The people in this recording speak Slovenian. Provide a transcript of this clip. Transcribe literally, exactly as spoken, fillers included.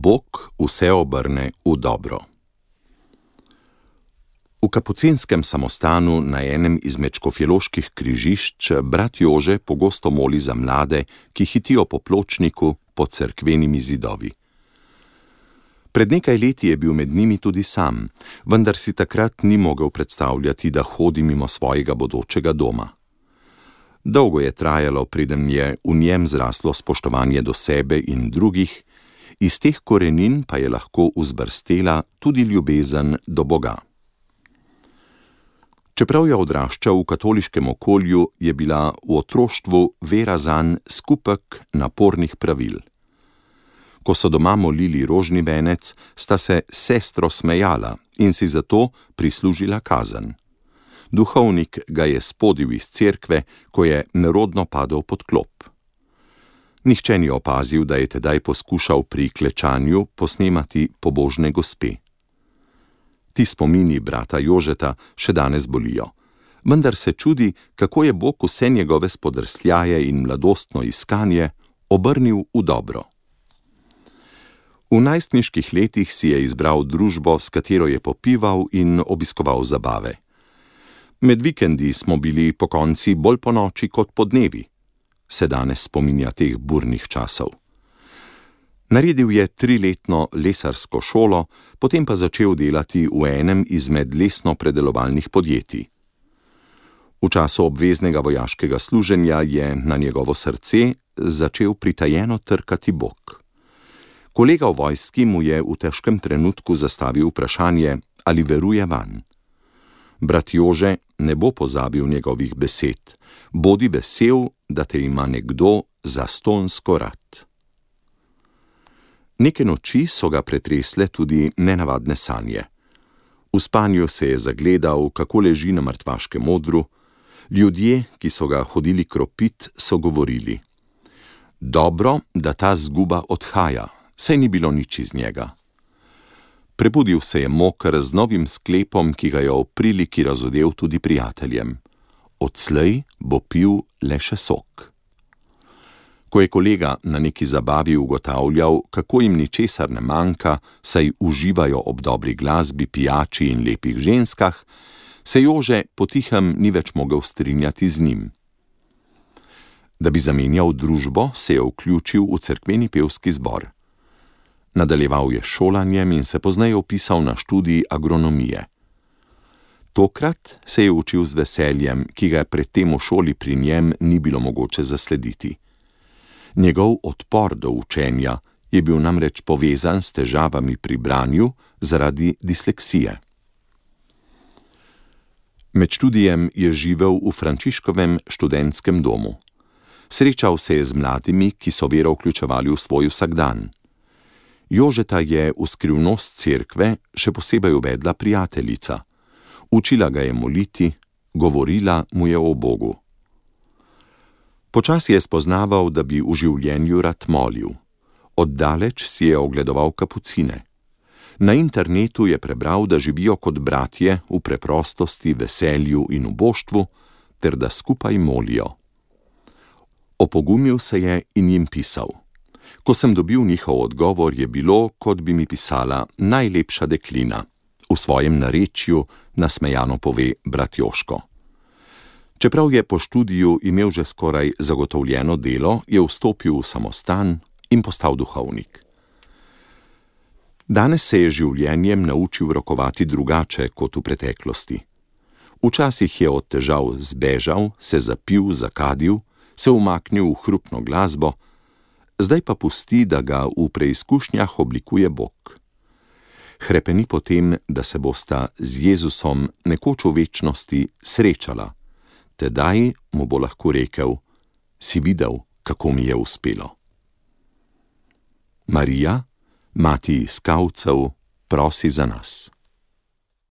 Bog vse obrne v dobro. V kapucinskem samostanu na enem izmed škofjeloških križišč brat Jože pogosto moli za mlade, ki hitijo po pločniku pod cerkvenimi zidovi. Pred nekaj leti je bil med njimi tudi sam, vendar si takrat ni mogel predstavljati, da hodi mimo svojega bodočega doma. Dolgo je trajalo, preden je v njem zraslo spoštovanje do sebe in drugih, iz teh korenin pa je lahko vzbrstela tudi ljubezen do Boga. Čeprav je odraščal v katoliškem okolju, je bila v otroštvu vera zanj skupek napornih pravil. Ko so doma molili rožni venec, sta se sestro smejala in si zato prislužila kazen. Duhovnik ga je spodil iz cerkve, ko je nerodno padel pod klop. Nihče ni opazil, da je tedaj poskušal pri klečanju posnemati pobožne gospe. Ti spomini brata Jožeta še danes bolijo, vendar se čudi, kako je Bog vse njegove spodrsljaje in mladostno iskanje obrnil v dobro. V najstniških letih si je izbral družbo, s katero je popival in obiskoval zabave. Med vikendi smo bili pokonci bolj ponoči kot podnevi, se danes spominja teh burnih časov. Naredil je triletno lesarsko šolo, potem pa začel delati v enem izmed lesno-predelovalnih podjetij. V času obveznega vojaškega služenja je na njegovo srce začel pritajeno trkati Bog. Kolega v vojski mu je v težkem trenutku zastavil vprašanje, ali veruje vanj. Brat Jože ne bo pozabil njegovih besed: bodi vesel, da te ima nekdo zastonjsko rad. Neke noči so ga pretresle tudi nenavadne sanje. V spanju se je zagledal, kako leži na mrtvaškem odru. Ljudje, ki so ga hodili kropit, so govorili: dobro, da ta zguba odhaja, saj ni bilo nič iz njega. Prebudil se je moker z novim sklepom, ki ga je v priliki razodel tudi prijateljem: odslej bo pil le še sok. Ko je kolega na neki zabavi ugotavljal, kako jim ničesar ne manjka, saj uživajo ob dobri glasbi, pijači in lepih ženskah, se Jože potihem ni več mogel strinjati z njim. Da bi zamenjal družbo, se je vključil v cerkveni pevski zbor. Nadaljeval je šolanjem in se pozneje vpisal na študij agronomije. Tokrat se je učil z veseljem, ki ga predtem v šoli pri njem ni bilo mogoče zaslediti. Njegov odpor do učenja je bil namreč povezan s težavami pri branju zaradi disleksije. Med študijem je živel v Frančiškovem študentskem domu. Srečal se je z mladimi, ki so vero vključevali v svoj vsakdan. Jožeta je v skrivnost cerkve še posebej uvedla prijateljica. Učila ga je moliti, govorila mu je o Bogu. Počasi je spoznaval, da bi v življenju rad molil. Oddaleč si je ogledoval kapucine. Na internetu je prebral, da živijo kot bratje v preprostosti, veselju in uboštvu, ter da skupaj molijo. Opogumil se je in jim pisal. Ko sem dobil njihov odgovor, je bilo, kot bi mi pisala najlepša deklina. V svojem narečju nasmejano pove brat Jožko. Čeprav je po študiju imel že skoraj zagotovljeno delo, je vstopil v samostan in postal duhovnik. Danes se je življenjem naučil rokovati drugače kot v preteklosti. Včasih je od težav zbežal, se zapil, zakadil, se umaknil v hrupno glasbo, zdaj pa pusti, da ga v preizkušnjah oblikuje Bog. Hrepeni potem, da se bosta z Jezusom nekoč v večnosti srečala. Tedaj mu bo lahko rekel: si videl, kako mi je uspelo. Marija, mati iskalcev, prosi za nas.